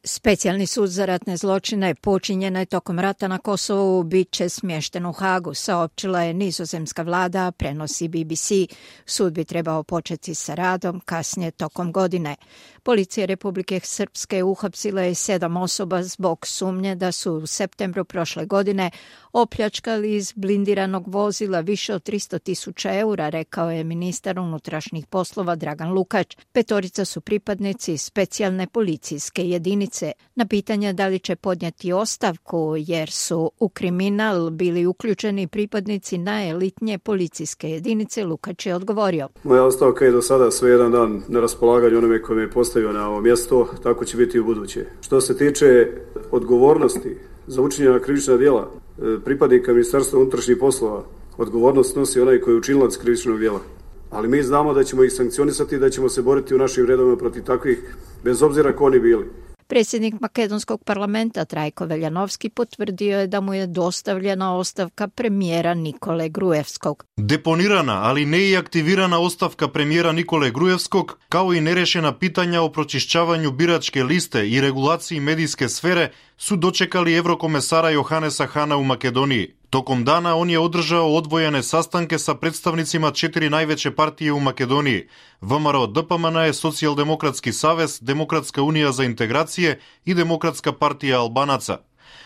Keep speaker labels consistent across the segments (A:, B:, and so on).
A: Specijalni sud za ratne zločine počinjene tokom rata na Kosovu bit će smješten u Hagu, saopćila je nizozemska vlada, prenosi BBC. Sud bi trebao početi sa radom kasnije tokom godine. Policija Republike Srpske uhapsila je 7 osoba zbog sumnje da su u septembru prošle godine opljačkali iz blindiranog vozila više od 300.000 eura, rekao je ministar unutrašnjih poslova Dragan Lukač. 5 su pripadnici specijalne policijske jedinice. Na pitanje da li će podnijeti ostavku jer su u kriminal bili uključeni pripadnici najelitnije policijske jedinice, Lukač je odgovorio.
B: Moja ostavka je do sada sve jedan dan na raspolaganju onome koji me je postavio na ovo mjesto, tako će biti i u buduće. Što se tiče odgovornosti za učinjena krivična djela pripadnika Ministarstva unutrašnjih poslova, odgovornost nosi onaj koji je učinilac krivičnog djela. Ali mi znamo da ćemo ih sankcionisati i da ćemo se boriti u našim redovima protiv takvih, bez obzira ko oni bili.
A: Predsjednik makedonskog parlamenta Trajko Veljanovski potvrdio je da mu je dostavljena ostavka premijera Nikole Gruevskog.
C: Deponirana, ali ne i aktivirana ostavka premijera Nikole Gruevskog, kao i nerešena pitanja o pročišćavanju biračke liste i regulaciji medijske sfere su dočekali evrokomesara Johanesa Hana u Makedoniji. Tokom dana on je održao odvojene sastanke sa predstavnicima 4 najveće partije u Makedoniji: VMRO DPMN, Socijaldemokratski savez, Demokratska unija za integracije i Demokratska partija Albanaca.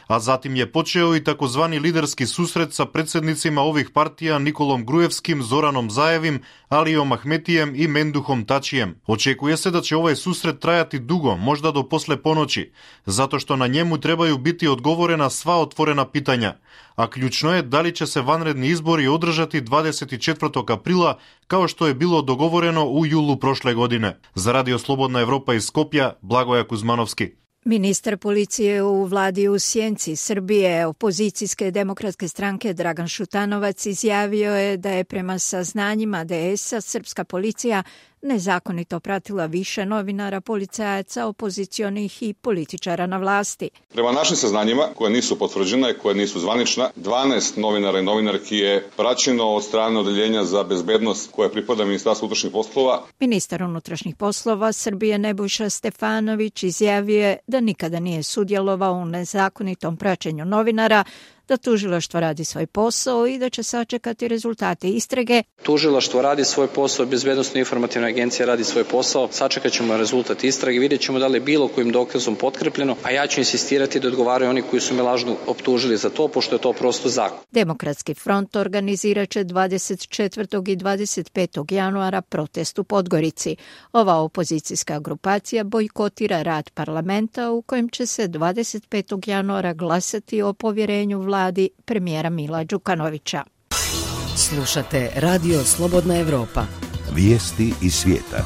C: A zatim je počeo i takozvani liderski susret sa predsjednicima ovih partija Nikolom Gruevskim, Zoranom Zajevim, Alijom Ahmetijem i Menduhom Tačijem. Očekuje se da će ovaj susret trajati dugo, možda do posle ponoći, zato što na njemu trebaju biti odgovorena sva otvorena pitanja. A ključno je da li će se vanredni izbori održati 24. aprila, kao što je bilo dogovoreno u julu prošle godine. Za Radio Slobodna Evropa iz Skopja, Blagoja Kuzmanovski.
A: Ministar policije u vladi u Sjenici Srbije, opozicijske demokratske stranke Dragan Šutanovac, izjavio je da je prema saznanjima DS-a srpska policija nezakonito pratila više novinara, policajaca, opozicionih i političara na vlasti.
D: Prema našim saznanjima, koje nisu potvrđene, koje nisu zvanična, 12 novinara i novinarki je praćeno od strane odeljenja za bezbednost koje pripada Ministarstvu unutrašnjih poslova.
A: Ministar unutrašnjih poslova Srbije Nebojša Stefanović izjavio je da nikada nije sudjelovao u nezakonitom praćenju novinara, da tužilaštvo radi svoj posao i da će sačekati rezultate istrage.
E: Tužilaštvo radi svoj posao, Bezbednosno informativna agencija radi svoj posao, sačekat ćemo rezultat istrage, vidjet ćemo da li je bilo kojim dokazom potkrepljeno, a ja ću insistirati da odgovaraju oni koji su me lažno optužili za to, pošto je to prosto zakon.
A: Demokratski front organizirat će 24. i 25. januara protest u Podgorici. Ova opozicijska grupacija bojkotira rad parlamenta u kojem će se 25. januara glasati o povjerenju vladi premijera Mila Đukanovića.
F: Slušate Radio Slobodna Evropa.
G: Vijesti iz svijeta.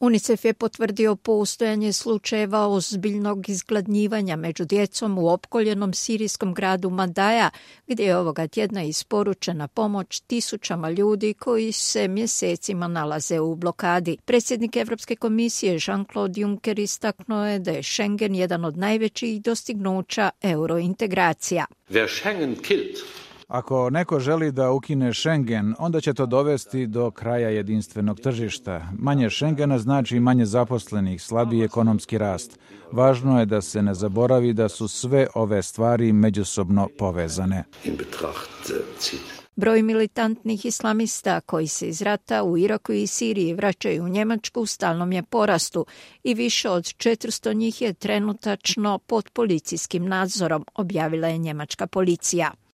A: UNICEF je potvrdio postojanje slučajeva ozbiljnog izgladnjivanja među djecom u opkoljenom sirijskom gradu Madaja, gdje je ovoga tjedna isporučena pomoć tisućama ljudi koji se mjesecima nalaze u blokadi. Predsjednik Evropske komisije Jean-Claude Juncker istaknuo je da je Schengen jedan od najvećih dostignuća eurointegracija.
H: Ako neko želi da ukine Schengen, onda će to dovesti do kraja jedinstvenog tržišta. Manje Schengena znači manje zaposlenih, slabiji ekonomski rast. Važno je da se ne zaboravi da su sve ove stvari međusobno povezane.
A: Broj militantnih islamista koji se iz rata u Iraku i Siriji vraćaju u Njemačku u stalnom je porastu i više od 400 njih je trenutačno pod policijskim nadzorom, objavila je njemačka policija.